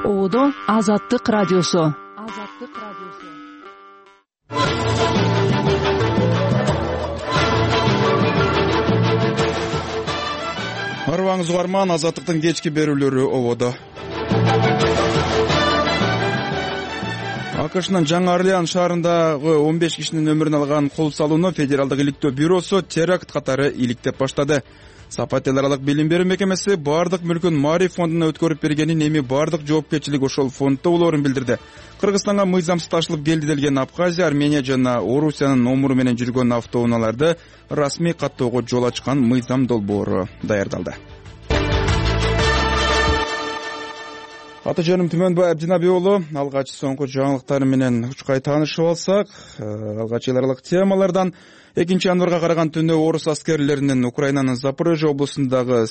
Оодо Азаттык радиосу. Арыбаңыз угарман, Азаттыктын кечки берүүлөрү ободо. АКШнын Жаңы Орлеан шаарындагы 15 кишинин өмүрүн алган кол салууну Федералдык иликтөө бюросу теракт катары иликтеп баштады. Сапат эл аралык билим берүү мекемеси бардык мүлкүн Маариф фондуна өткөрүп бергенин, эми бардык жоопкерчилик ошол фонддо болоорун билдирди. Кыргызстанга мыйзамсыз ташылып келди делген Абхазия, Армения жана Орусиянын номуру менен жүргөн автоунааларды расмий каттоого жол ачкан мыйзам долбоору даярдалды. Аты жөнүм Түмөнбай Абдинаби уулу. Алгач соңку жаңылыктар менен учкай таанышып алсак, алгач эл аралык темалардан 2-январга караган түнү орус аскерлеринин Украинанын Запорожье облусундагы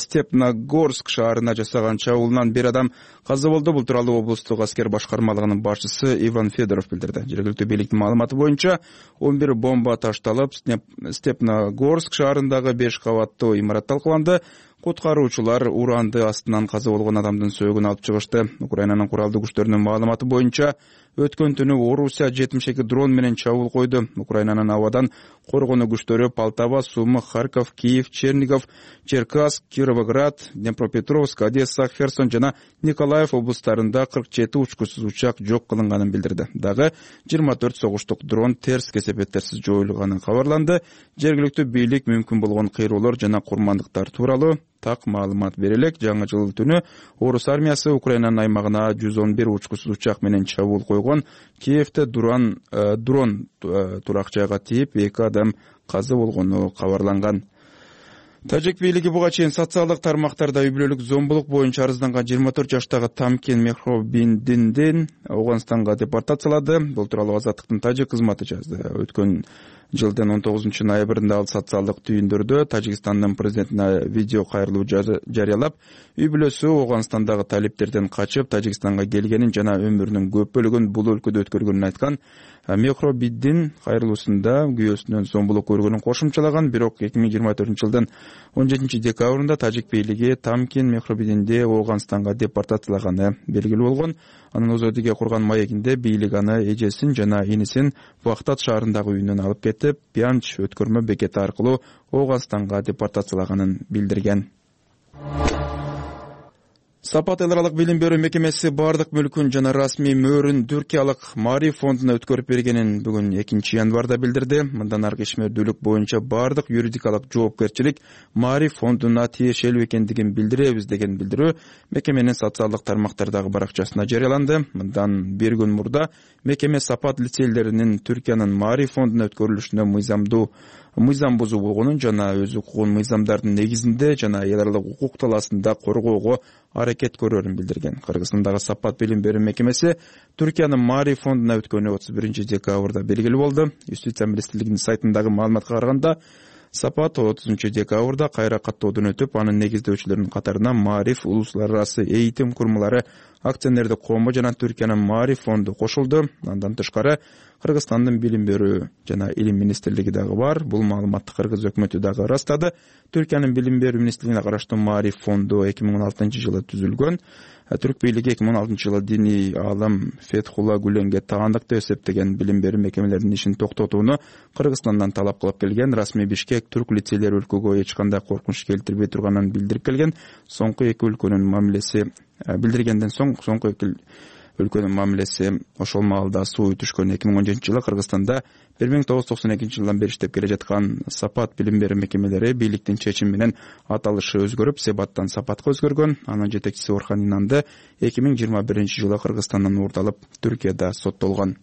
Степногорск шаарына жасаган чабуулунан бир адам каза болду. Бул тууралуу облустук аскер башкармалыгынын башчысы Иван Федоров билдирди. Жергиликтүү бийликтин маалыматы боюнча 11 бомба ташталып, Степногорск шаарындагы 5 кабаттуу имарат талкаланды. Куткаруучулар уранды астынан каза болгон адамдын сөөгүн алып чыгышты. Украинанын куралдуу күчтөрүнүн маалыматы боюнча өткөн түнү Орусия 72 дрон менен чабуул койду. Украинанын абадан коргонуу күчтөрү Полтава, Суми, Харьков, Киев, Чернигов, Черкасск, Кировоград, Днепропетровск, Одесса, Херсон жана Николаев облустарында 47 учкусуз учак жок кылынганын билдирди. Дагы 24 согуштук дрон терс кесепеттерсиз жоюлганы кабарланды. Жергиликтүү бийлик мүмкүн болгон кыйроолор жана курмандыктар тууралуу так маалымат бере элек. Жаңы жыл түнү орус армиясы Украинанын аймагына 111 учкусуз учак менен чабуул койгон. Киевде дрон турак жайга тийип 2 адам каза болгону кабарланган. Тажик бийлиги буга чейин социалдык тармактарда үй-бүлөлүк зомбулук боюнча арызданған 24 жаштагы Тамкин Мехробиндиндин Ауганстанга депортациялады. Бул тууралуу Азаттыктын тажик кызматы жазды. Өткөн жылдын 19 ноябрында ал социалдык түйүндөрдө Тажикстандын президентине видео кайрылуу жарыялап, үй-бүлөсү Ауганстандагы талиптерден качып Тажикстанга келгенин жана өмүрүнүн көп бөлүгүн бул өлкөдө өткөргөнүн айткан. Мехробиндин кайрылуусунда күйөөсүнөн зомбулук көргөнүн кошумчалаган. Бирок 2024 жылдын 17 декабрында тажик бийлиги Тамкин Мехробиндинди Ауганстанга депортациялаганы белгилүү болгон. Анын Озодиге курган маегинде бийлик аны эжесин жана инисин Вахтат шаарындагы үйүнөн алып кетип, Пянч өткөрмө бекети аркылуу Ауганстанга депортациялаганын билдирген. Сапат эл аралык билим берүү мекемеси бардык мүлкүн жана расмий мөөрүн Түркиялык Маариф фондуна өткөрүп бергенин бүгүн 2-январда билдирди. Мындан аркы ишмердүүлүк боюнча бардык юридикалык жоопкерчилик Маариф фондуна тиешелүү экендигин билдиребиз деген билдирүү мекеменин социалдык тармактардагы баракчасына жарыяланды. Мындан бир күн мурда мекеме Сапат лицейлеринин Түркиянын Маариф фондуна өткөрүлүшүнө мыйзам бузуу болгонун жана өз укугун мыйзамдардын негизинде жана эл аралык укук талаасында коргоого аракет көрөрүн билдирген. Кыргызстандагы Сапат билим берүү мекемеси Түркиянын Маариф фондуна өткөнү 31 декабрда белгилүү болду. Юстиция министрлигинин сайтындагы маалыматка караганда, Сапат 30 декабрда кайра каттоодон өтүп, анын негиздөөчүлөрүнүн катарына Маариф улуттар арасы эйтим курмалары акционердик коому жана Түркиянын Маариф фонду кошулду. Андан тышкары Кыргызстандын билим берүү жана илим министрлиги дагы бар. Бул маалыматты кыргыз өкмөтү дагы ырастады. Түркиянын билим берүү министрлигине караштуу Маариф фонду 2016 жылы түзүлгөн. Түрк бийлиги 2016 жылы диний аалым Фетхулла Гүленге таандык деп эсептеген билим берүү мекемелеринин ишин токтотууну Кыргызстандан талап кылып келген. Расмий Бишкек түрк лицейлери өлкөгө эч кандай коркунуч келтирбей турганын билдирип келген. Соңку эки өлкөнүн мамилеси билдиргенден соң соңку эки өлкөнүн мамилеси ошол маалда суу түшкөн. 2017 жылы Кыргызстанда 1992 жылдан бери иштеп келе жаткан Сапат билим берүү мекемелери бийликтин чечими менен аталышы өзгөрүп, Себаттан Сапатка өзгөргөн. Анын жетекчиси Орхан Инанды 2021 жылы Кыргызстандан уурдалып, Түркияда соттолгон.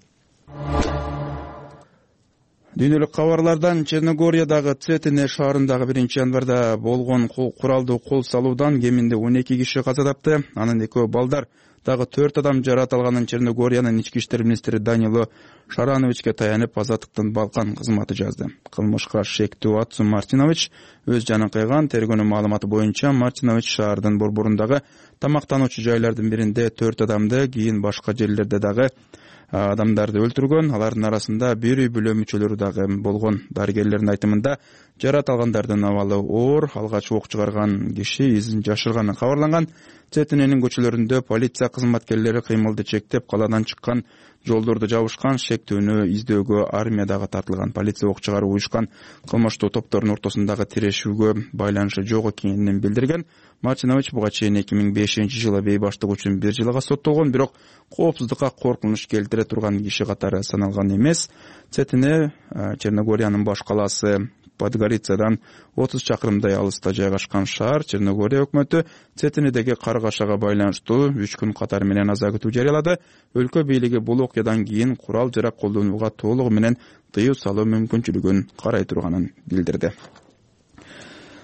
Дүйнөлүк кабарлардан Черногориядагы Цетине шаарындагы 1-январда болгон куралдуу кол салуудан кеминде 12 киши каза тапты. Анын экөө балдар. Дагы 4 адам жаракат алганын Черногориянын ички иштер министри Данило Шарановичке таянып Азаттыктын Балкан кызматы жазды. Кылмышка шектүү Атсу Мартинович өз жанын кыйган. Тергөөнүн маалыматы боюнча Мартинович шаардын борборундагы тамактануучу жайлардын биринде 4 адамды, кийин башка жерлерде дагы адамдарды өлтүргөн. Алардын арасында бир үй бүлө мүчөлөрү дагы болгон. Дарыгерлердин айтымында жаракат алгандардын абалы оор. Алгач ок чыгарган киши изин жашырганы кабарланган. Цетиненин көчөлөрүндө полиция кызматкерлери кыймылды чектеп, калаадан чыккан жолдорду жабышкан, шектүүнү издөөгө армия дагы тартылган. Полиция ок чыгарып уюшкан кылмыштуу топтордун ортосундагы тирешүүгө байланышы жок экенин билдирген. Мачинович буга чейин 2005-жылы бейбаштык үчүн 1 жылга соттолгон, бирок коопсуздукка коркунуч келтире турган киши катары саналган эмес. Цетине Черногориянын баш калаасы Подгорицадан 30 чакырымдай алыста жайгашкан шаар. Черногория өкмөтү Цетинедеги каргашага байланыштуу 3 күн катары менен аза күтүү жарыялады. Өлкө бийлиги бул окуядан кийин курал жарак колдонууга толугу менен тыюу салуу мүмкүнчүлүгүн карай турганын билдирди.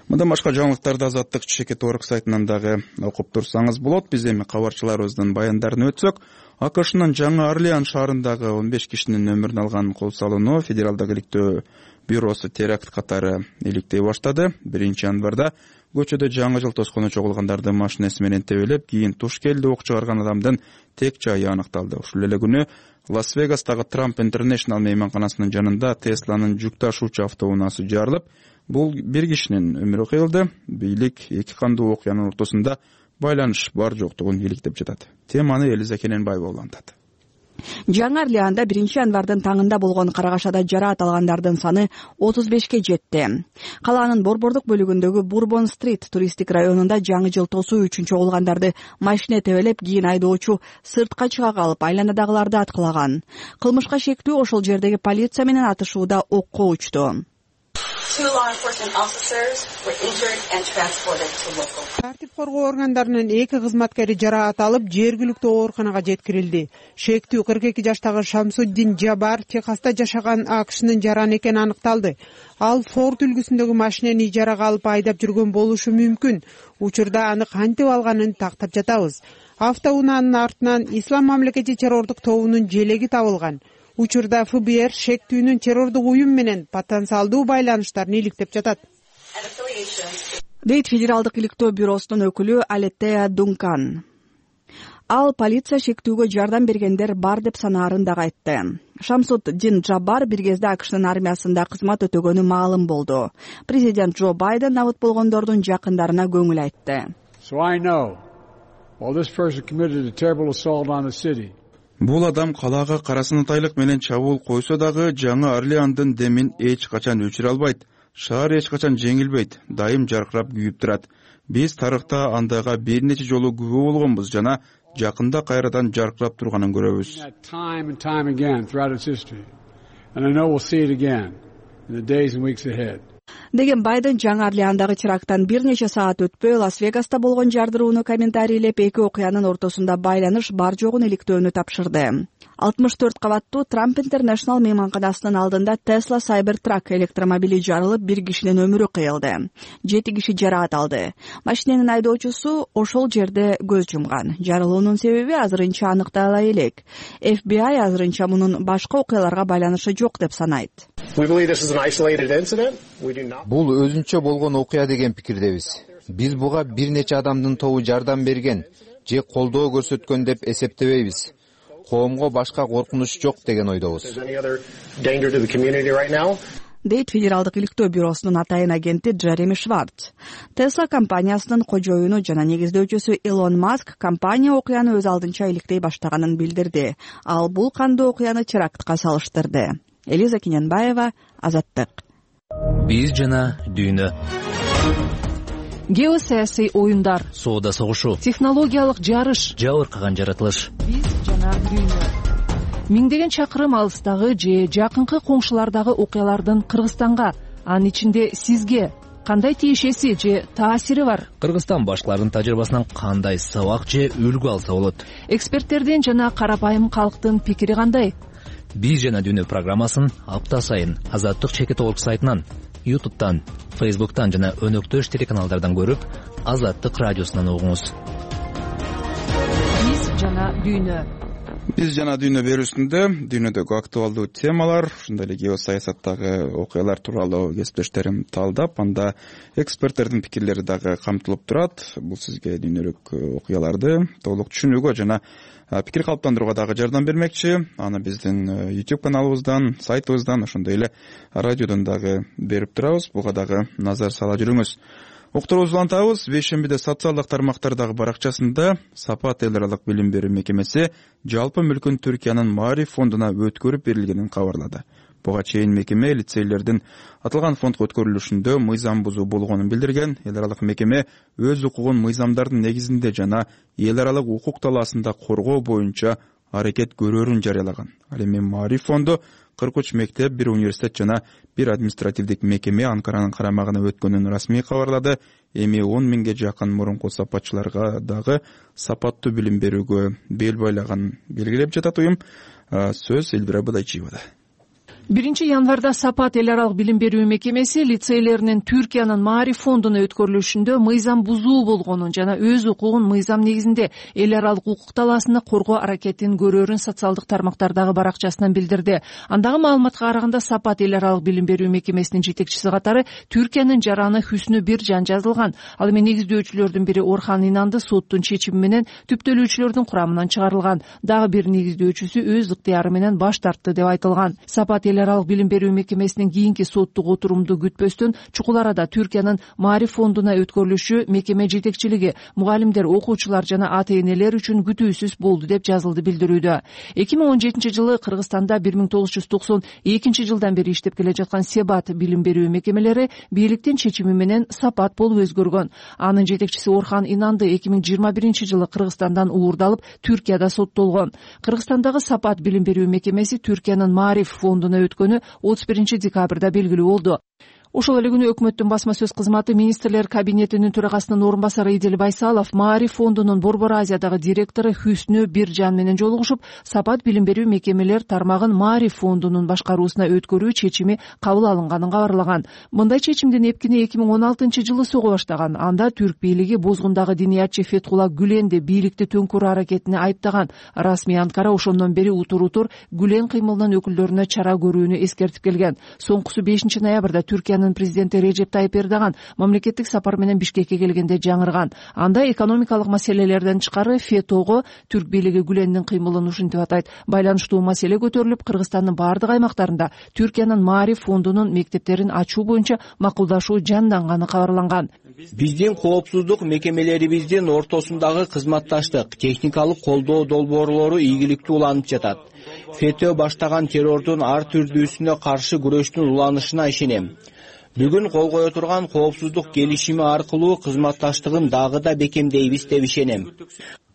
Мындан башка жаңылыктарды Азаттык чекит орг сайтынан дагы окуп турсаңыз болот. Биз эми кабарчыларыбыздын баяндарын өтсөк, АКШнын Жаңы Орлеан шаарындагы 15 кишинин өмүрүн алган кол салууну Федералдык иликтөө бюросу теракт катары иликтей баштады. 1-январда көчөдө жаңы жыл тоскону чогулгандарды машинеси менен тебелеп, кийин туш келди ок чыгарган адамдын тек жайы аныкталды. Ушул эле күнү Лас-Вегастагы Trump International мейманканасынын жанында Тесланын жүк ташуучу автоунаасы жарылып, бул 1 кишинин өмүрү кыйылды. Бийлик эки кандуу окуянын ортосунда байланыш бар жоктугун иликтеп жатат. Теманы Элиза Кененбаева улантат. Жаңы Орлеанда 1-январдын таңында болгон карагашада жараат алгандардын саны 35ке жетти. Калаанын борбордук бөлүгүндөгү Бурбон-стрит туристтик районунда жаңы жыл тосуу үчүн чогулгандарды машине тебелеп, кийин айдоочу сыртка чыга калып, айланадагыларды аткылаган. Кылмышка шектүү ошол жердеги полиция менен атышууда окко учту. Тартип коргоо органдарынын 2 кызматкери жараат алып, жергиликтүү ооруканага жеткирилди. Шектүү 42 жаштагы Шамсуддин Жабар Техаста жашаган АКШнын жаран экени аныкталды. Ал Форд үлгүсүндөгү машинени ижарага алып айдап жүргөн болушу мүмкүн. Учурда аны кантип алганын тактап жатабыз. Автоунаанын артынан Ислам мамлекети террордук тобунун желеги табылган. Учурда ФБР шектүүнүн террордук уюм менен потенциалдуу байланыштарын иликтеп жатат, дейт Федералдык иликтөө бюросунун өкүлү Алеттея Дункан. Ал полиция шектүүгө жардам бергендер бар деп санаарын дагы айтты. Шамсуддин Жабар бир кезде АКШнын армиясында кызмат өтөгөнү маалым болду. Президент Джо Байден абыт болгондордун жакындарына көңүл айтты. Бул адам калаага карасын тайлык менен чабуул койсо дагы Жаңы Орлеандын демин эч качан өчүрө албайт. Шаар эч качан жеңилбейт, дайым жаркырап күйүп турат. Биз тарыхта андайга бир нече жолу күбө болгонбуз жана жакында кайрадан жаркырап турганын көрөбүз. Деген Байден Жаңы Орлеандагы теракттан бир нече саат өтпөй Лас-Вегаста болгон жардырууну комментарийлеп, эки окуянын ортосунда байланыш бар жогун иликтөөнү тапшырды. 64 кабаттуу Trump International мейманканасынын алдында Tesla Cybertruck электромобили жарылып, 1 кишинин өмүрү кыйылды. 7 киши жараат алды. Машиненин айдоочусу ошол жерде көз жумган. Жарылуунун себеби азырынча аныктала элек. FBI азырынча мунун башка окуяларга байланышы жок деп санайт. Бул өзүнчө болгон окуя деген пикирдебиз. Биз буга бир нече адамдын тобу жардам берген же колдоо көрсөткөн деп эсептебейбиз. Коомго башка коркунуч жок деген ойдобуз, дейт Федералдык иликтөө бюросунун атайын агенти Джереми Шварц. Tesla компаниясынын кожоюну жана негиздөөчүсү Илон Маск компания окуяны өз алдынча иликтей баштаганын билдирди. Ал бул кандуу окуяны терактка салыштырды. Элиза Кененбаева, Азаттык. Биз жана дүйнө. Геосаясий оюндар, соода согушу, технологиялык жарыш, жабыркаган жаратылыш. Биз жана дүйнө. Миңдеген чакырым алыстагы же жакынкы коңшулардагы окуялардын Кыргызстанга, анын ичинде сизге кандай тиешеси же таасири бар? Кыргызстан башкалардын тажрыйбасынан кандай сабак же үлгү алса болот? Эксперттердин жана карапайым калктын пикири кандай? Биз жана дүйнө программасын апта сайын Азаттык чекит орг сайтынан, YouTube'тан, Facebook'тан жана өнөктөш телеканалдардан көрүп, Азаттык радиосунан угуңуз. Биз жана дүйнө. Биз жана дүйнө берүүсүндө дүйнөдөгү актуалдуу темалар, ошондой эле геосаясаттагы окуялар тууралуу кесиптештерим талдап, анда эксперттердин пикирлери дагы камтылып турат. Бул сизге дүйнөлүк окуяларды толук түшүнүүгө жана пикир калыптандырууга дагы жардам бермекчи. Аны биздин YouTube каналыбыздан, сайтыбыздан, ошондой эле радиодон дагы берип турабыз. Буга дагы назар сала жүрүңүз. Уктуруубузду улантабыз. Бейшембиде социалдык тармактардагы баракчасында Сапат эл аралык билим берүү мекемеси жалпы мүлкүн Түркиянын Маариф фондуна өткөрүп берилгенин кабарлады. Буга чейин мекеме лицейлердин аталган фондго өткөрүлүшүндө мыйзам бузуу болгонун билдирген. Эл аралык мекеме өз укугун мыйзамдардын негизинде жана эл аралык укук талаасында коргоо боюнча аракет көрөрүн жарыялаган. Ал эми Маариф фонду 43 мектеп, 1 университет жана 1 административдик мекеме Анкаранын карамагына өткөнүн расмий кабарлады. Эми 10 миңге жакын мурунку сапатчыларга дагы сапаттуу билим берүүгө бел байлаган белгилеп жатат уюм. Сөз Эльвира Бадайчиевада. 1 январда Сапат эл аралык билим берүү мекемеси лицейлеринин Түркиянын Маариф фондуна өткөрүлүшүндө мыйзам бузуу болгонун жана өз укугун мыйзам негизинде эл аралык укук талаасында коргоо аракетин көрөрүн социалдык тармактардагы баракчасынан билдирди. Андагы маалыматка караганда Сапат эл аралык билим берүү мекемесинин жетекчиси катары Түркиянын жараны Хүснү Биржан жазылган. Ал эми негиздөөчүлөрдүн бири Орхан Инанды соттун чечими менен түптөлүүчүлөрдүн курамынан чыгарылган. Дагы бир негиздөөчүсү өз ыктыяры менен баш тартты деп айтылган. Сапат эл аралык билим берүү мекемесинин кийинки соттук отурумду күтпөстөн чукул арада Түркиянын Маариф фондуна өткөрүлүшү мекеме жетекчилиги, мугалимдер, окуучулар жана ата-энелер үчүн күтүүсүз болду деп жазылды билдирүүдө. 2017 жылы Кыргызстанда 1992 жылдан бери иштеп келе жаткан Себат билим берүү мекемелери бийликтин чечими менен Сапат болуп өзгөргөн. Анын жетекчиси Орхан Инанды 2021 жылы Кыргызстандан уурдалып Түркияда соттолгон. Кыргызстандагы Сапат билим берүү мекемеси Түркиянын Маариф фондуна өткөнү 31 декабрда белгилүү болду. Ошол эле күнү өкмөттүн басма сөз кызматы министрлер кабинетинин төрагасынын орун басары Идил Байсалов Маариф фондунун Борбор Азиядагы директору Хүснү Биржан менен жолугушуп, Сапат билим берүү мекемелер тармагын Маариф фондунун башкаруусуна өткөрүү чечими кабыл алынганын кабарлаган. Мындай чечимдин эпкини 2016 жылы сого баштаган. Анда түрк бийлиги бозгундагы диниятчы Фетхулла Гүленди бийликти төңкөрүү аракетине айыптаган. Расмий Анкара ошондон бери утур Гүлен кыймылынын өкүлдөрүнө чара көрүүнү эскертип келген. Соңкусу 5 ноябрда Түркиянын президенти Режеп Тайып Эрдоган мамлекеттик сапар менен Бишкекке келгенде жаңырган. Анда экономикалык маселелерден тышкары ФЕТОго түрк бийлиги Гүлендин кыймылын ушинтип атайт. Байланыштуу маселе көтөрүлүп, Кыргызстандын бардык аймактарында Түркиянын Маариф фондунун мектептерин ачуу боюнча макулдашуу жанданганы кабарланган. Биздин коопсуздук мекемелерибиздин ортосундагы кызматташтык, техникалык колдоо долбоорлору ийгиликтүү уланып жатат. ФЕТО баштаган террордун ар түрдүүсүнө каршы күрөштүн уланышына ишенем. Бүгүн кол кое турган коопсуздук келишими аркылуу кызматташтыгын дагы да бекемдейбиз деп ишенем.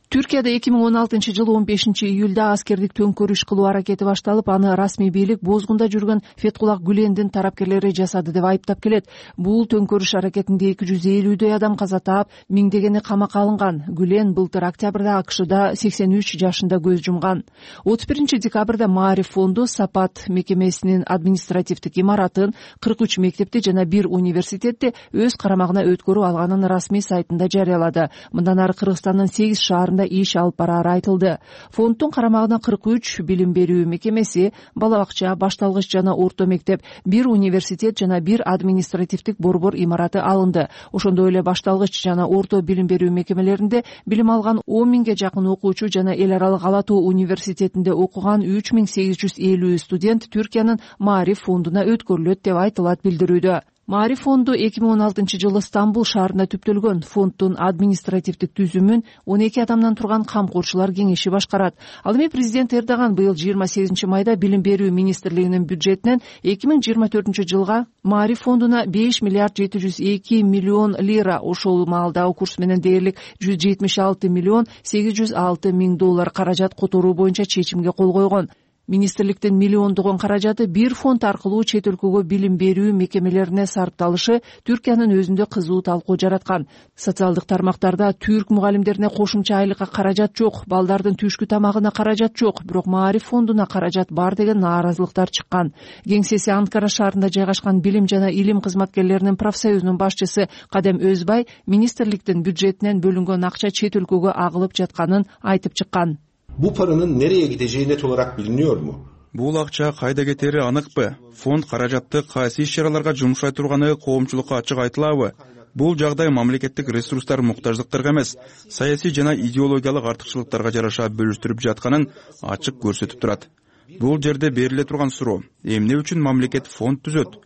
Түркияда 2016 жылы 15 июлда аскердик төңкөрүш кылуу аракети башталып, аны расмий бийлик бозгунда жүргөн Фетхулла Гүлендин тарапкерлери жасады деп айыптап келет. Бул төңкөрүш аракетинде 250дөй адам каза таап, миңдегени камакка алынган. Гүлен былтыр октябрда АКШда 83 жашында көз жумган. 31 декабрда Маариф фонду Сапат мекемесинин административдик имаратын, 43 мектепти жана 1 университетти өз карамагына өткөрүп алганын расмий сайтында жарыялады. Мындан ары Кыргызстандын 8 шаарында иш алып барары айтылды. Фонддун карамагына 43 билим берүү мекемеси, бала бакча, башталгыч жана орто мектеп, 1 университет жана 1 административдик борбор имараты алынды. Ошондой эле башталгыч жана орто билим берүү мекемелеринде билим алган 10 миңге жакын окуучу жана эл аралык Ала Тоо университетинде окуган 3850 студент Түркиянын Маариф фондуна өткөрүлөт деп айтылат билдирүүдө. Маариф фонду 2016 жылы Стамбул шаарында түптөлгөн. Фонддун административдик түзүмүн 12 адамдан турган камкорчулар кеңеши башкарат. Ал эми президент Эрдоган быйыл 28 майда билим берүү министрлигинин бюджетинен 2024 жылга Маариф фондуна 5 миллиард 702 миллион лира, ошол маалдагы курс менен дээрлик 176 миллион 806 миң доллар каражат которуу боюнча чечимге кол койгон. Министрликтин миллиондогон каражаты бир фонд аркылуу чет өлкөгө билим берүү мекемелерине сарпталышы Түркиянын өзүндө кызуу талкуу жараткан. Социалдык тармактарда түрк мугалимдерине кошумча айлыкка каражат жок, балдардын түшкү тамагына каражат жок, бирок Маариф фондуна каражат бар деген нааразылыктар чыккан. Кеңсеси Анкара шаарында жайгашкан билим жана илим кызматкерлеринин профсоюзунун башчысы Кадем Өзбай министрликтин бюджетинен бөлүнгөн акча чет өлкөгө агылып жатканын айтып чыккан. Bu paranın nereye gideceği net olarak biliniyor mu? Бул акча кайда кетери аныкпы? Фонд каражатты кайсы иш-чараларга жумшай турганы коомчулукка ачык айтылабы? Бул жагдай мамлекеттик ресурстар муктаждыктарга эмес, саясий жана идеологиялык артыкчылыктарга жараша бөлүштүрүп жатканын ачык көрсөтүп турат. Бул жерде бериле турган суроо: эмне үчүн мамлекет фонд түзөт?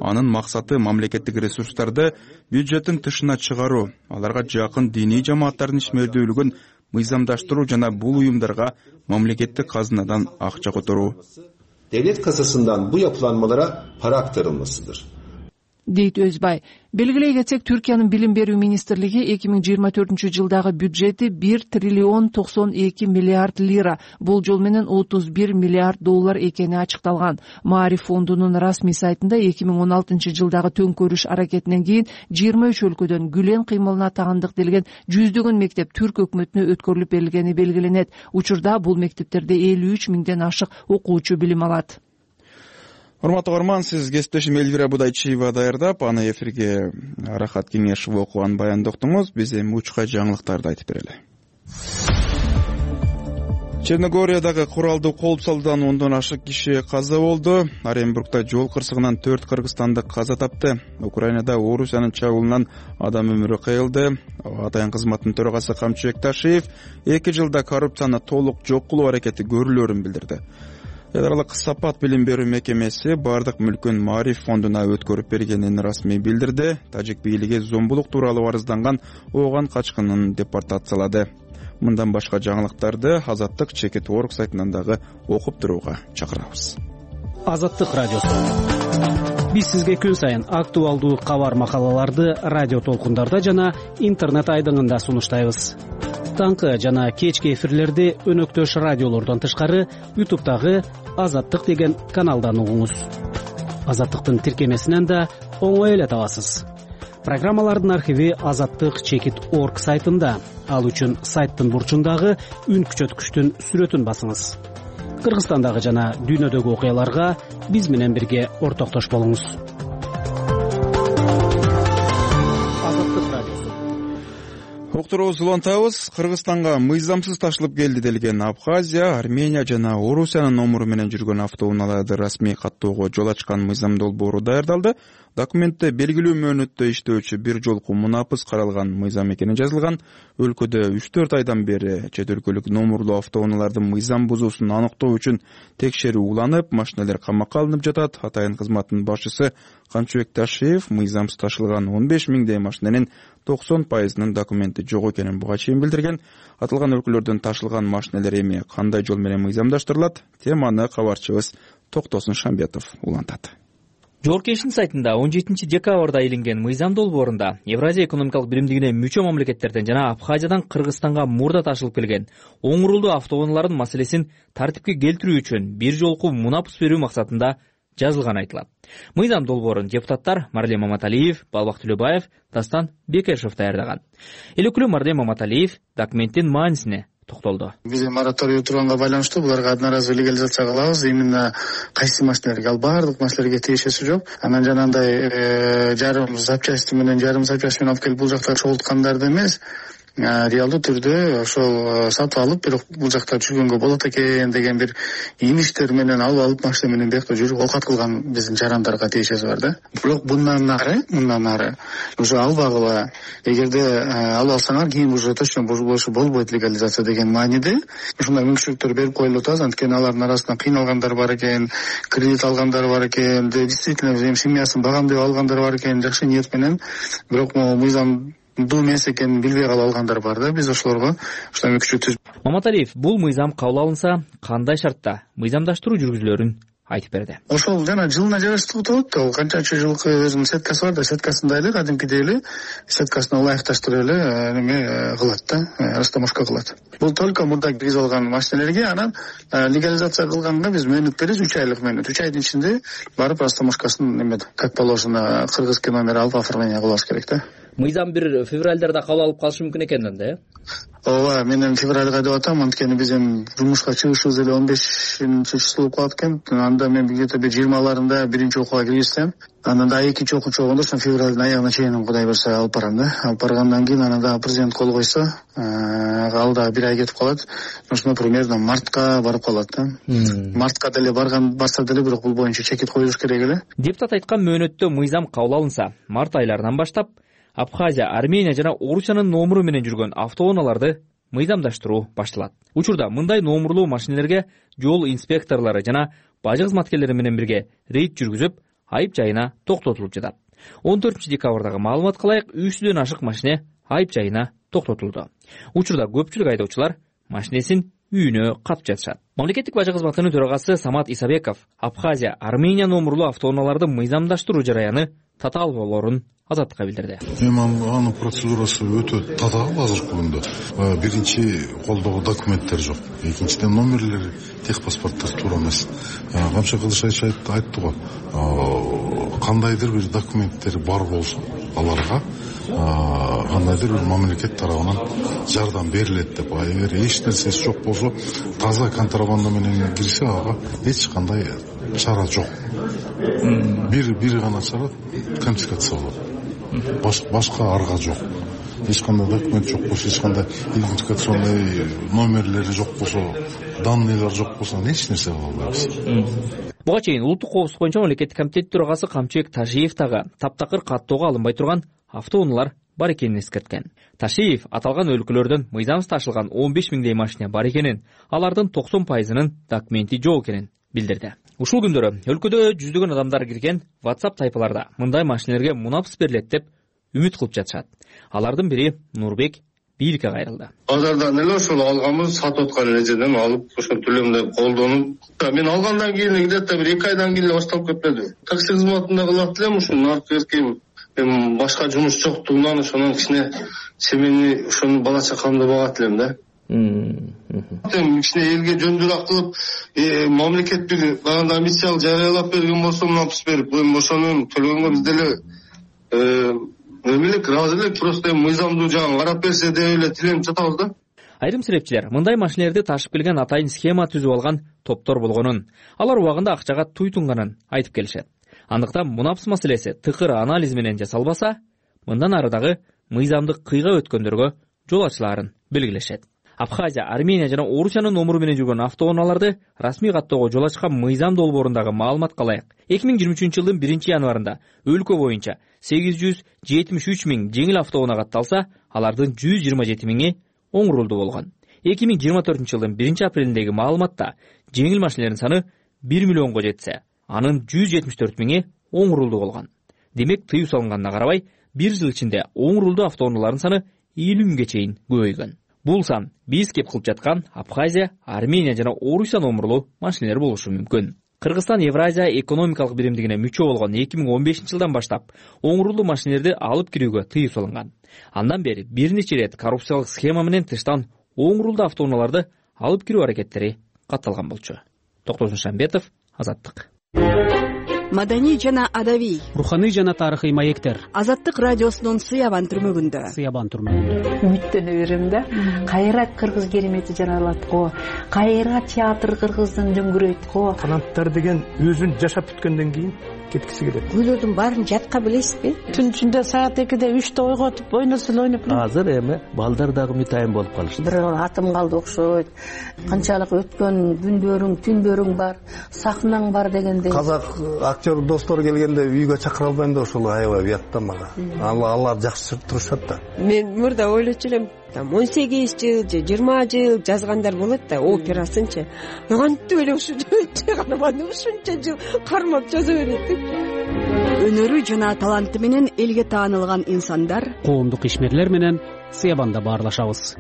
Анын максаты мамлекеттик ресурстарды бюджеттин тышына чыгаруу, аларга жакын диний жамааттардын ишмердүүлүгүн мыйзамдаштыруу жана бул уюмдарга мамлекеттик казынадан акча которуу. Devlet kasasından bu yapılanmalara para aktarılmasıdır. Дейт Өзбай. Белгилей кетсек, Түркиянын билим берүү министрлиги 2024-жылдагы бюджети 1 триллион 92 миллиард лира, бул жол менен 31 миллиард доллар экени ачыкталган. Маариф фондунун расмий сайтында 2016-жылдагы төңкөрүш аракетинен кийин 23 өлкөдөн Гүлен кыймылына тагандык делген жүздөгөн мектеп түрк өкмөтүнө өткөрүлүп берилгени белгиленет. Учурда бул мектептерде 53 миңден ашык окуучу билим алат. Урматтуу көрөрман, сиз кесиптешим Элвира Будайчиева даярдап, аны эфирге Арахат Кеңешов окуган баянды уктуңуз. Биз эми учка жаңылыктарды айтып берели. Черногориядагы куралдуу кол салуудан 10дон ашык киши каза болду. Оренбургда жол кырсыгынан 4 кыргызстандык каза тапты. Украинада Орусиянын чабуулунан адам өмүрү кыйылды. Атайын кызматтын төрагасы Камчыбек Ташиев 2 жылда коррупцияны толук жок кылуу аракети көрүлөөрүн билдирди. Эл аралык Сапат билим берүү мекемеси бардык мүлкүн Маариф фондуна өткөрүп бергенин расмий билдирди. Тажик бийлиги зомбулук тууралуу арызданған ооган качкынын депортациялады. Мындан башка жаңылыктарды Азаттык Чекит.org сайтынан дагы окуп турууга чакырабыз. Азаттык радиосу. Биз сизге күн сайын актуалдуу кабар макалаларды радио толкундарда жана интернет айдыңында сунуштайбыз. Таңкы жана кечки эфирлерди өнөктөш радиолордон тышкары YouTube'дагы Азаттык деген каналдан угуңуз. Азаттыктын тиркемесинен да оңой эле табасыз. Программалардын архиви Азаттык Чекит.org сайтында. Ал үчүн сайттын бурчундагы үн күчөткүчтүн сүрөтүн басыңыз. Кыргызстандагы жана дүйнөдөгү окуяларга биз менен бирге ортоктош болуңуз. Уктуруубузду улантабыз. Кыргызстанга мыйзамсыз ташылып келди делген Абхазия, Армения жана Орусиянын номуру менен жүргөн автоунааларды расмий каттоого жол ачкан мыйзам долбоору даярдалды. Документте белгилүү мөөнөттө иштөөчү бир жолку мунапыс каралган мыйзам экени жазылган. Өлкөдө 3-4 айдан бери чет өлкөлүк номурлуу автоунаалардын мыйзам бузуусун аныктоо үчүн текшерүү уланып, машиналар камакка алынып жатат. Атайын кызматтын башчысы Камчыбек Ташиев мыйзамсыз ташылган 15 миңдей машинанын 90%-нын документи жок экенин буга чейин билдирген. Аталган өлкөлөрдөн ташылган машиналар эми кандай жол менен мыйзамдаштырылат? Теманы кабарчыбыз Токтосун Шамбетов улантат. Жогорку сайтында 17 декабрда илинген мыйзам долбоорунда Евразия экономикалык биримдигине мүчө мамлекеттерден жана Абхазиядан Кыргызстанга мурда ташылып келген оңурулдуу автоунаалардын маселесин тартипке келтирүү үчүн бир жолку мунапыс берүү максатында жазылган айтылат. Мыйзам долбоорун депутаттар Марлен Маматалиев, Балбак Төлөбаев, Дастан Бекешев даярдаган. Эл өкүлү Марлен Маматалиев документтин маанисине токтолду. Биз мораторий турганга байланыштуу буларга одноразовый легализация кылабыз. Именно кайсы машиналерге, ал баардык машиналерге тиешеси жок. Анан жанагындай жарым запчасти менен алып келип бул жакта чогулткандарды эмес, реалдуу түрдө ошол сатып алып, бирок бул жакта жүргөнгө болот экен деген бир имиштер менен алып машина менен биякта жүрүп оокат кылган биздин жарандарга тиешеси бар да. Бирок мындан ары уже албагыла. Эгерде алып алсаңар, кийин уже точно болбойт легализация деген мааниде ушундай мүмкүнчүлүктөр берип коюлуп атабыз. Анткени алардын арасында кыйналгандар бар экен, кредит алгандар бар экен, действительно семьясын багам деп алгандар бар экен, жакшы ниет менен, бирок мыйзам эмес экенин билбей калып алгандар бар да. Биз ошолорго ушундай мүмкүнчүлүк. Маматалиев бул мыйзам кабыл алынса, кандай шартта мыйзамдаштыруу жүргүзүлөөрүн айтып берди. Ошол жана жылына жараштуу болот. Ал канчанчы жылкы өзүнүн сеткасы бар да, сеткасында эле кадимкидей эле сеткасына ылайыкташтырып эле неме кылат да, растаможка кылат. Бул только мурда киргиз алган машиналерге. Анан легализация кылганга биз мөөнөт беребиз, 3 айлык мөөнөт. 3 айдын ичинде барып растаможкасын неме как положено кыргызский номер алып оформление кылабыз керек да. Мыйзам бир февралдарда кабыл алып калышы мүмкүн экен да, э? Ооба, мен февралга деп атам, анткени биз эми жумушка чыгышыбыз эле 15-число болуп калат экен. Анда мен где-то 20-ларында биринчи окууга киришсем, анан да экинчи окуучу болгондо ошо февралдын аягына чейин Кудай берсе алып барам да. Алып баргандан кийин анан да президент кол койсо, ал да бир ай кетип калат. Ошондо примерно мартка барып калат да. Мартка деле барса деле, бирок бул боюнча чекит коюлуш керек эле. Депутат айткан мөөнөттө мыйзам кабыл алынса, март айларынан баштап Абхазия, Армения жана Орусиянын номуру менен жүргөн автоунааларды мыйзамдаштыруу башталат. Учурда мындай номурлуу машиналерге жол инспекторлору жана бажы кызматкерлери менен бирге рейд жүргүзүп, айып жайына токтотулуп жатат. 14 декабрдагы маалыматка ылайык 300дөн ашык машине айып жайына токтотулду. Учурда көпчүлүк айдоочулар машинесин үйүнө катып жатышат. Мамлекеттик бажы кызматынын төрагасы Самат Исабеков Абхазия, Армения номурлуу автоунааларды мыйзамдаштыруу жараяны татаал болоорун Азаттыкка билдирди. Анын процедурасы өтө татаал азыркы күндө. Биринчи колдогу документтер жок. Экинчиден номерлери, техпаспорттор туура эмес. Камча Кылышбаев айтты го. Кандайдыр бир документтер бар болсо, аларга кандайдыр бир мамлекет тарабынан жардам берилет деп. Эгер эч нерсеси жок болсо, таза контрабанда менен кирсе, ага эч кандай чара жок. Бир гана чара конфискация болот. Башка арга жок. Эч кандай документ жок болсо, эч кандай идентификационный номерлери жок болсо, данныйлар жок болсо, эч нерсе кыла албайбыз. Буга чейин улуттук коопсуздук боюнча мамлекеттик комитет төрагасы Камчыбек Ташиев дагы таптакыр каттоого алынбай турган автоунаалар бар экенин эскерткен. Ташиев аталган өлкөлөрдөн мыйзамсыз ташылган 15 миңдей машина бар экенин, алардын 90%-нын документи жок экенин билдирди. Ушул күндөрү өлкөдө жүздөгөн адамдар кирген WhatsApp тайпаларда мындай машинелерге мунапс берилет деп үмүт кылып жатышат. Алардын бири Нурбек бийликке кайрылды. Базардан эле ошол алганбыз, сатып аткан эле жерден алып, ошол төлөмдү колдонуп, мен алгандан кийин где-то бир 2 айдан кийин башталып кетпеди. Такси кызматында кылат элем, ушул наркы эркем башка жумуш жоктугунан ошонун кичине семени, ошонун бала чакамды багат элем да. Кичине элге жөндүрөк кылып, мамлекет бир баганда миссиялык жарыялап берген болсо, мунапс берип, ошонун төлөгөнгө биз деле эмелик ыраазы элек, просто мыйзамдуу жагын карап берсе деп эле тиленип жатабыз да. Айрым серепчилер мындай машинелерди ташып келген атайын схема түзүп алган топтор болгонун, алар убагында акчага туйтунганын айтып келишет. Андыктан мунапс маселеси тыкыр анализ менен жасалбаса, мындан ары дагы мыйзамдык кыйга өткөндөргө жол ачылаарын белгилешет. Абхазия, Армения жана Орусиянын номуру менен жүргөн автоунааларды расмий каттоого жол ачкан мыйзам долбоорундагы маалыматка ылайык 2023-жылдын 1-январында өлкө боюнча 873 миң жеңил автоунаа катталса, алардын 127 миңи оңурулду болгон. 2024-жылдын 1-апрелиндеги маалыматта жеңил машинелердин саны 1 миллионго жетсе, анын 174 миңи оңурулду болгон. Демек, тыюу салынганына карабай, 1 жыл ичинде оңурулду автоунаалардын саны 50 миңге чейин көбөйгөн. Бул сан биз кеп кылып жаткан Абхазия, Армения жана Орусия номурлуу машинелер болушу мүмкүн. Кыргызстан Евразия экономикалык биримдигине мүчө болгон 2015-жылдан баштап оңурулуу машинелерди алып кирүүгө тыюу салынган. Андан бери бир нече ирет коррупциялык схема менен тыштан оңурулду автоунааларды алып кирүү аракеттери катталган болчу. Токтосун Шамбетов, Азаттык. Маданий жана адабий, руханий жана тарыхый маектер. Азаттык радиосунун Сыябан түрмөгүндө. Үмүттөнө берем да. Кайра кыргыз керемети жаралат го. Кайра театр кыргыздын дөңгүрөйт го. Канаттар деген өзүн жашап бүткөндөн кийин кеткиси келет. Күйлөрдүн баарын жатка билесизби? Түн ичинде саат 2-де 3-те ойготуп, ойносул ойноп. Азыр эми балдар дагы мытайын болуп калышты. Бир атым калды окшойт. Канчалык өткөн күндөрүң, түндөрүң бар, сахнаң бар дегенде. Казак актер достор келгенде үйгө чакыра албайм да, ошол аябай уят да мага. Алар жакшы турушат да. Мен мурда ойлочу элем, 18 жыл же 20 жыл жазгандар болот да, операсынчы. Кантип эле ушунча жыл кармап жаза берет. Өнөрү жана таланты менен элге таанылган инсандар, коомдук ишмерлер менен Сыябанда баарлашабыз.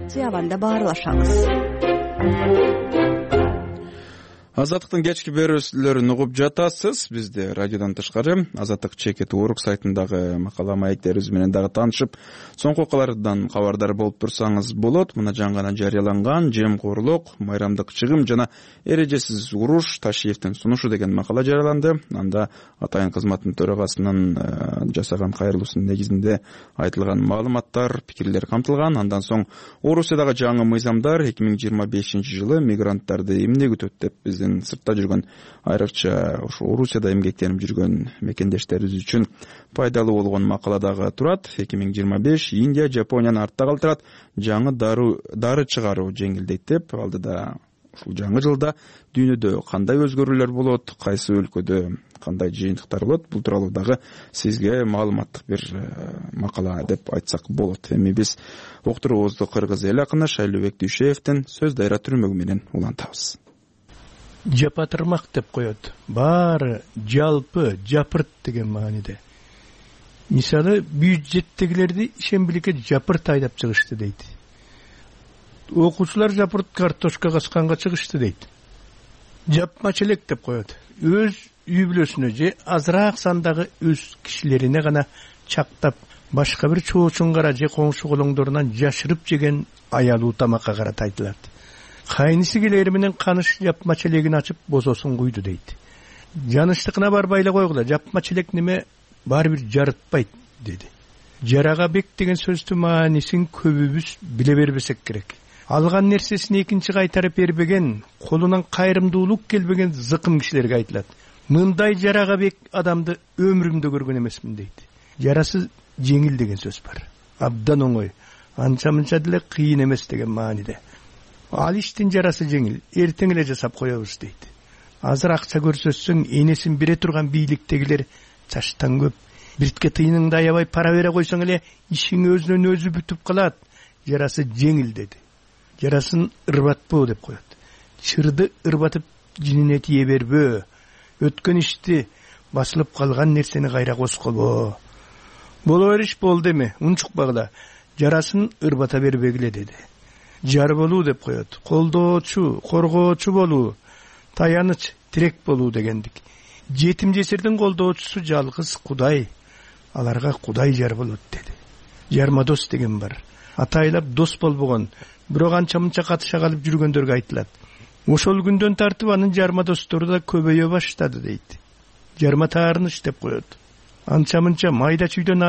Азаттыктын кечки берүүсүлөрүн угуп жатасыз. Бизде радиодон тышкары Азаттык чекит Орг сайтындагы макала маектерибиз менен дагы таанышып, соңку окуялардан кабардар болуп турсаңыз болот. Мына жаңы гана жарыяланган жемкорлук, майрамдык чыгым жана эрежесиз уруш Ташиевдин сунушу деген макала жарыяланды. Анда атайын кызматтын төрагасынын жасаган кайрылуусунун негизинде айтылган маалыматтар, пикирлер камтылган. Андан соң Орусиядагы жаңы мыйзамдар 2025-жылы мигранттарды эмне күтөт деп биздин сыртта жүргөн, айрыкча ошо Орусияда эмгектенип жүргөн мекендештерибиз үчүн пайдалуу болгон макаладагы турат. 2025 Индия, Жапонияны артта калтырат, жаңы дары чыгаруу жеңилдейт деп. Алдыда ушул жаңы жылда дүйнөдө кандай өзгөрүүлөр болот, кайсы өлкөдө кандай жыйынтыктар болот, бул тууралуу дагы сизге маалыматтык бир макала деп айтсак болот. Эми биз уктуруубузду кыргыз эл акыны Шайлообек Дүйшеевдин Сөз дайра түрмөгү менен улантабыз. жапатырмак деп коет. Баары жалпы жапырт деген мааниде. Мисалы бюджеттегилерди ишембиликке жапырт айдап чыгышты дейт. Окуучулар жапырт картошка касканга чыгышты дейт. Жапма челек деп коет. Өз үй бүлөсүнө же азыраак сандагы өз кишилерине гана чактап, башка бир чоочунгара же коңшу колоңдорунан жашырып жеген аялуу тамакка карата айтылат. Кайнысы келери менен каныш жапма челегин ачып бозосун куйду дейт. Жанычтыкына барбай эле койгула, жапма челек неме баары бир жарытпайт деди. Жарага бек деген сөздүн маанисин көбүбүз биле бербесек керек. Алган нерсесин экинчи кайтарып бербеген, колунан кайрымдуулук келбеген зыкым кишилерге айтылат. Мындай жарага бек адамды өмүрүмдө көргөн эмесмин дейт. Жарасы жеңил деген сөз бар. Абдан оңой, анча-мынча деле кыйын эмес деген мааниде. Ал иштин жарасы жеңил, эртең эле жасап коебуз дейт. Азыр акча көрсөтсөң энесин бере турган бийликтегилер чачтан көп. Биртке тыйыныңды аябай пара бере койсоң эле ишиң өзүнөн өзү бүтүп калат. Жарасы жеңил деди. Жарасын ырбатпоо деп коет. Чырды ырбатып жинине тие бербөө. Өткөн ишти, басылып калган нерсени кайра коскобо. Боло бериш болду эми, унчукпагыла. Жарасын ырбата бербегиле деди. Жар болуу деп коет. Колдоочу, коргоочу болуу, таяныч, тирек болуу дегендик. Жетим жесирдин колдоочусу жалгыз Кудай. Аларга Кудай жар болот деди. Жармадос деген бар. Атайлап дос болбогон, бирок анча-мынча катыша калып жүргөндөргө айтылат. Ошол күндөн тартып анын жармадостору да көбөйө баштады дейт. Жарма таарыныч деп коет. Анча-мынча майда чүйдөн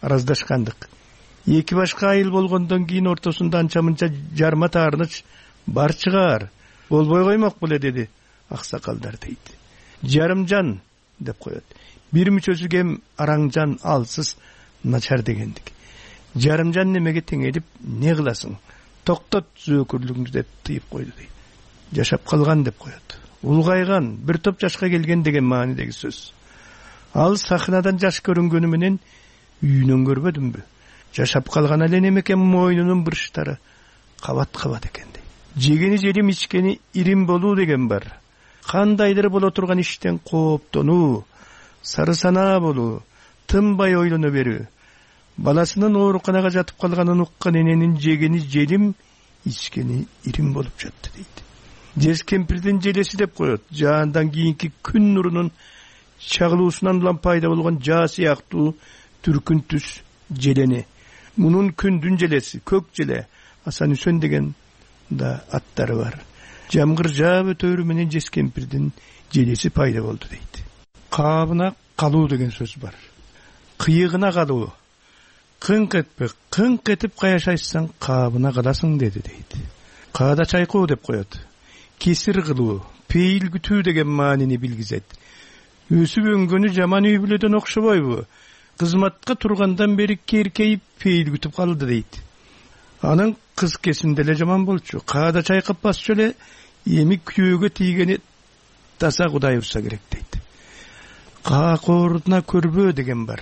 араздашкандык. Эки башка айыл болгондон кийин ортосунда анча-мынча жарма таарыныч бар чыгар. Болбой коймок беле деди аксакалдар дейт. Жарымжан деп коет. Бир мүчөсү кем, араңжан, алсыз, начар дегендик. Жарымжан немеге теңелип не кыласың? Токтот зөөкүрлүгүңдү деп тыйып койду дейт. Жашап калган деп коет. Улгайган, бир топ жашка келген деген маанидеги сөз. Ал сахнадан жаш көрүнгөнү менен үйүнөн көрбөдүмбү? Жашап калган эле немеке мойнунун бурчтары кабат-кабат экен дейт. Жегени желим, ичкени ирим болуу деген бар. Кандайдыр боло турган иштен кооптонуу, сары санаа болуу, тынбай ойлоно берүү. Баласынын ооруканага жатып калганын уккан эненин жегени желим, ичкени ирим болуп жатты дейт. Жез кемпирдин желеси деп коет. Жаандан кийинки күн нурунун чагылуусунан улам пайда болгон жаа сыяктуу түркүн түс желени. Мунун күндүн желеси, көк желе, Асан Үсөн деген да аттары бар. Жамгыр жаап өтөрү менен жез кемпирдин желеси пайда болду дейт. Каабына калуу деген сөз бар. Кыйыгына калуу. Кыңк этпе, кыңк этип каяшайсаң каабына каласың деди дейт. Каада чайкоо деп коет. Кесир кылуу, пейил күтүү деген маанини билгизет. Өсүп өңгөнү жаман үй бүлөдөн окшобойбу? Кызматка тургандан бери керкейип пейил күтүп калды дейт. Анын кыз кесинде эле жаман болчу. Каада чайкап басчу эле, эми күйөөгө тийгени таза Кудай урса керек дейт. Каакоордуна көрбөө деген бар.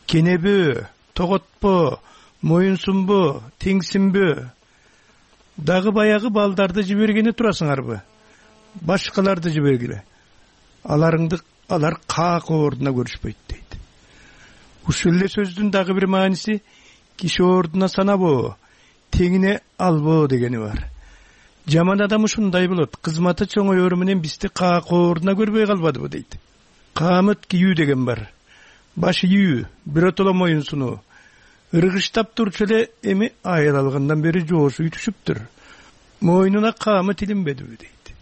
Кенебөө, тоготпо, моюнсунбо, теңсинбөө. Дагы баягы балдарды жибергени турасыңарбы? Башкаларды жибергиле. Алар каакоордуна көрүшпөйт дейт. Ушул эле сөздүн дагы бир мааниси киши ордуна санабоо, теңине албоо дегени бар. Жаман адам ушундай болот. Кызматы чоңоёру менен бизди каакоордуна көрбөй калбадыбы дейт. Каамыт кийүү деген бар. Баш ийүү, биротоло моюнсунуу. Ыргыштап турчу эле эми айыл алгандан бери жоошу үтүшүптүр. Мойнуна каамыт илинбедиби дейт.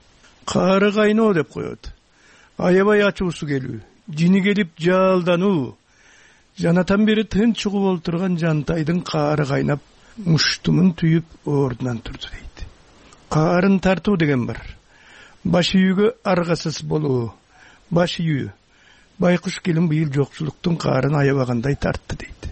Каары кайноо деп коет. Аябай ачуусу келүү, жини келип жалдануу. Жанатан бери тынч угуп олтурган жантайдын каары кайнап, муштумун түйүп ордунан турду дейт. Каарын тартуу деген бар. Баш үйгө аргасыз болуу. Баш үйү. Байкуш келин быйыл жокчулуктун каарын аябагандай тартты дейт.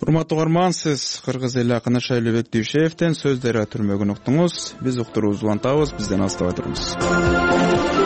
Урматтуу угарман, сиз кыргыз эли акыны Шайлообек Дүйшеевден сөздөрү түрмөгүн уктуңуз. Биз уктуруубузду улантабыз, бизден алыстабай туруңуз.